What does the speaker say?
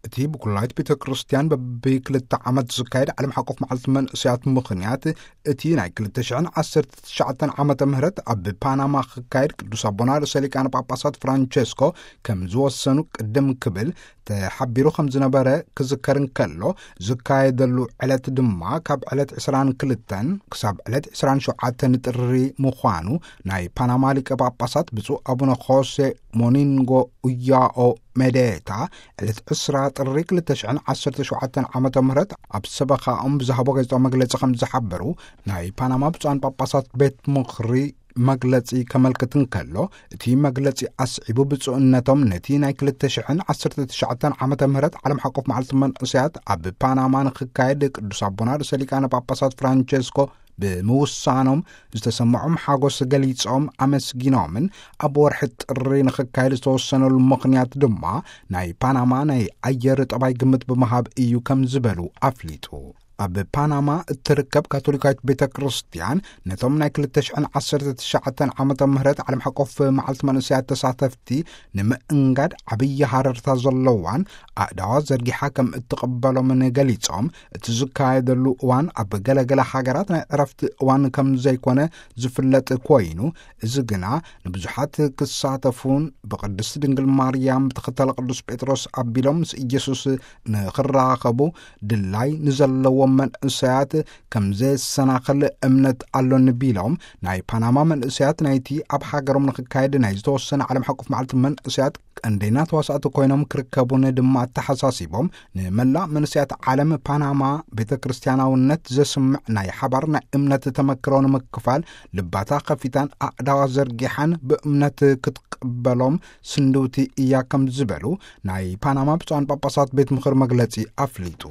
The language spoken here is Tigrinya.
እቲ ብኩላይት ቤተ ክርስቲያን በብክልተ ዓመት ዝካየድ ዓለም ሓቆፍ መዓልቲ መንእሰያት ምኽንያት፣ እቲ ናይ ክልተ ሽሕን ዓሰርተ ትሽዓተን ዓመተ ምህረት ኣብ ፓናማ ክካየድ ቅዱስ ኣቦና ርእሰ ሊቃነ ጳጳሳት ፍራንቸስኮ ከም ዝወሰኑ ቅድም ክብል ተሓቢሩ ከም ዝነበረ ክዝከር እንከሎ፣ ዝካየደሉ ዕለት ድማ ካብ ዕለት ዕስራን ክልተን ክሳብ ዕለት ዕስራን ሸውዓተን ጥሪ ምዃኑ ናይ ፓናማ ሊቀ ጳጳሳት ብፁዕ ኣቡነ ኾሴ ሞኒንጎ ኡያኦ ሜዴታ ዕለት ዕስራ ጥሪ ክልተ ሽሕን ዓሰርተ ሸውዓተን ዓመተ ምህረት ኣብ ሰበኻኦም ብዝሃቦ ጋዜጣዊ መግለጺ ከም ዝሓበሩ፣ ናይ ፓናማ ብፁዓን ጳጳሳት ቤት ምኽሪ መግለጺ ከመልክት እንከሎ፣ እቲ መግለጺ ኣስዒቡ ብፁዕነቶም ነቲ ናይ ክልተ ሽሕን ዓሰርተ ትሽዓተን ዓመተ ምህረት ዓለም ሓቆፍ መዓልቲ መንእሰያት ኣብ ፓናማ ንክካየድ ቅዱስ ኣቦና ርእሰ ሊቃነ ጳጳሳት ፍራንቸስኮ ብምውሳኖም ዝተሰምዖም ሓጎስ ገሊጾም ኣመስጊኖምን፣ ኣብ ወርሒ ጥሪ ንክካየድ ዝተወሰነሉ ምኽንያት ድማ ናይ ፓናማ ናይ ኣየር ጠባይ ግምት ብምሃብ እዩ ከም ዝበሉ ኣፍሊጡ። ኣብ ፓናማ እትርከብ ካቶሊካዊት ቤተ ክርስቲያን ነቶም ናይ ክልተ ሽሕን ዓሰርተ ትሽዓተን ዓመተ ምህረት ዓለም ሓቆፍ መዓልቲ መንእሰያት ተሳተፍቲ ንምእንጋድ ዓብዪ ሃረርታ ዘለዋን ኣእዳዋ ዘርጊሓ ከም እትቕበሎምን ገሊጾም፣ እቲ ዝካየደሉ እዋን ኣብ ገለገለ ሃገራት ናይ ዕረፍቲ እዋን ከም ዘይኮነ ዝፍለጥ ኮይኑ፣ እዚ ግና ንብዙሓት ክሳተፉን ብቅድስት ድንግል ማርያም ብተኸተለ ቅዱስ ጴጥሮስ ኣቢሎም ምስ ኢየሱስ ንኽራኸቡ ድላይ ንዘለዎም መንእሰያት ከም ዘየሰናኽል እምነት ኣሎኒ ቢሎም፣ ናይ ፓናማ መንእሰያት ናይቲ ኣብ ሃገሮም ንኽካየድ ናይ ዝተወሰነ ዓለም ሓቆፍ መዓልቲ መንእሰያት ቀንደኛ ተዋሳእቲ ኮይኖም ክርከቡን ድማ ኣተሓሳሲቦም፣ ንመላእ መንእሰያት ዓለም ፓናማ ቤተ ክርስቲያናውነት ዘስምዕ ናይ ሓባር ናይ እምነት ተመክሮ ንምክፋል ልባታ ከፊታን ኣእዳዋ ዘርጊሓን ብእምነት ክትቅበሎም ስንድውቲ እያ ከም ዝበሉ ናይ ፓናማ ብፁዓን ጳጳሳት ቤት ምኽሪ መግለጺ ኣፍሊጡ።